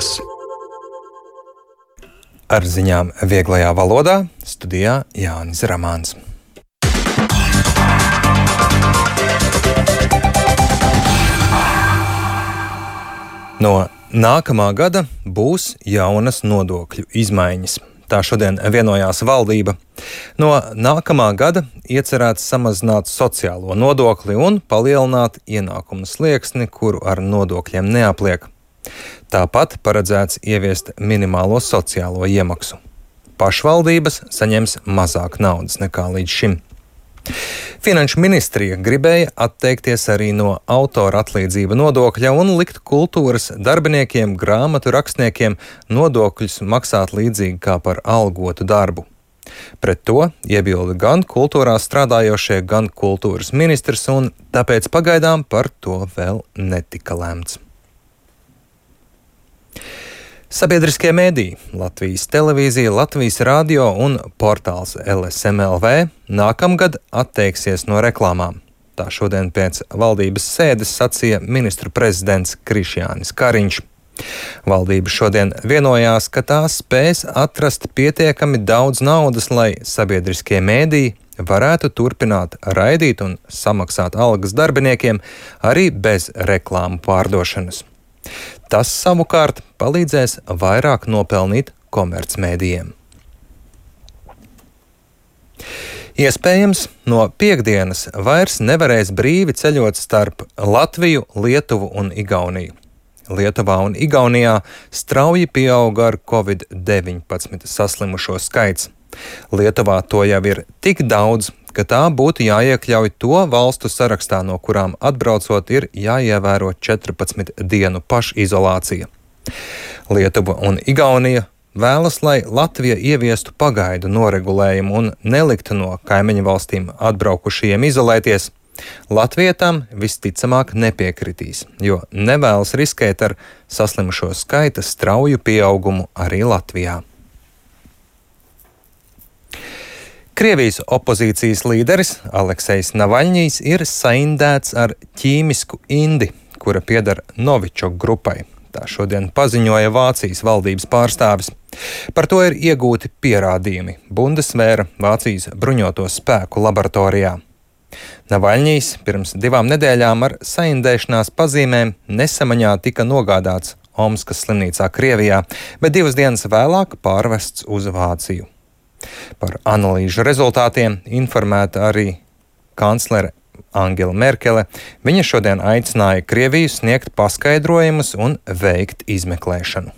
ziņas. Ar ziņām vieglajā valodā studijā Jānis Ramāns. No nākamā gada būs jaunas nodokļu izmaiņas. Tā šodien vienojās valdība. No nākamā gada iecerēts samazināt sociālo nodokli un palielināt ienākumu slieksni, kuru ar nodokļiem neapliek. Tāpat paredzēts ieviest minimālo sociālo iemaksu. Pašvaldības saņems mazāk naudas nekā līdz šim. Finanšu ministrija gribēja atteikties arī no autora atlīdzība nodokļa un likt kultūras darbiniekiem, grāmatu rakstniekiem nodokļus maksāt līdzīgi kā par algotu darbu. Pret to iebilda gan kultūrā strādājošie, gan kultūras ministrs, un tāpēc pagaidām par to vēl netika lemts. Sabiedriskie mediji, Latvijas televīzija, Latvijas radio un portāls LSMLV nākamgad atteiksies no reklāmām. Tā šodien pēc valdības sēdes sacīja ministru prezidents Krišjānis Kariņš. Valdība šodien vienojās, ka tā spēs atrast pietiekami daudz naudas, lai sabiedriskie mediji varētu turpināt raidīt un samaksāt algas darbiniekiem arī bez reklāmu pārdošanas. Tas savukārt palīdzēs vairāk nopelnīt komercmedijiem. Iespējams, no piektdienas vairs nevarēs brīvi ceļot starp Latviju, Lietuvu un Igauniju. Lietuvā un Igaunijā strauji pieauga ar Covid-19 saslimušo skaits. Lietuvā to jau ir tik daudz, ka tā būtu jāiekļauj to valstu sarakstā, no kurām atbraucot ir jāievēro 14 dienu pašizolācija. Lietuva un Igaunija vēlas, lai Latvija ieviestu pagaidu noregulējumu un neliktu no kaimiņu valstīm atbraukušajiem izolēties. Latvija tam visticamāk nepiekritīs, jo nevēlas riskēt ar saslimušo skaita strauju pieaugumu arī Latvijā. Krievijas opozīcijas līderis Aleksejs Navaļņijs ir saindēts ar ķīmisku indi, kura pieder Novičok grupai. Tā šodien paziņoja Vācijas valdības pārstāvis. Par to ir iegūti pierādījumi Bundesvēra Vācijas bruņoto spēku laboratorijā. Navaļņijs pirms 2 nedēļām ar saindēšanās pazīmēm nesamaņā tika nogādāts Omskas slimnīcā Krievijā, bet 2 dienas vēlāk pārvests uz Vāciju. Par analīžu rezultātiem informēta arī kanclere Angela Merkele. Viņa šodien aicināja Krieviju sniegt paskaidrojumus un veikt izmeklēšanu.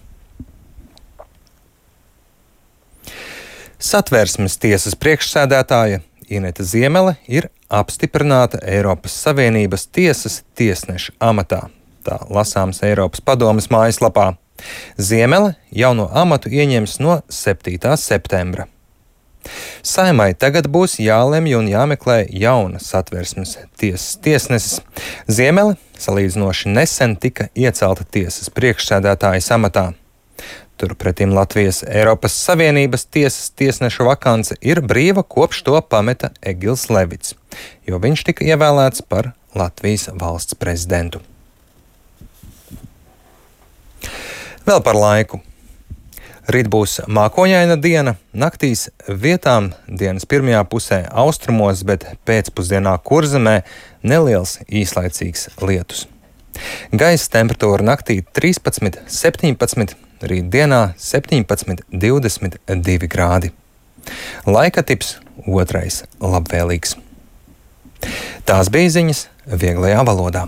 Satversmes tiesas priekšsēdētāja Ineta Ziemele ir apstiprināta Eiropas Savienības tiesas tiesneša amatā. Tā lasāms Eiropas padomes mājaslapā. Ziemele jauno amatu ieņems no 7. septembra. Saimai tagad būs jālemj un jāmeklē jauna Satversmes tiesas tiesneses. Ziemele salīdzinoši nesen tika iecelta tiesas priekšsēdētājas amatā. Turpretim Latvijas Eiropas Savienības tiesas tiesneša vakance ir brīva, kopš to pameta Egils Levits, jo viņš tika ievēlēts par Latvijas valsts prezidentu. Vēl par laiku. Rīt būs mākoņaina diena, naktīs vietām dienas pirmajā pusē austrumos, bet pēcpusdienā Kurzemē neliels īslaicīgs lietus. Gaisa temperatūra naktī 13, 17, rīt dienā 17, 22 grādi. Laika tips 2. labvēlīgs. Tās bija ziņas vieglajā valodā.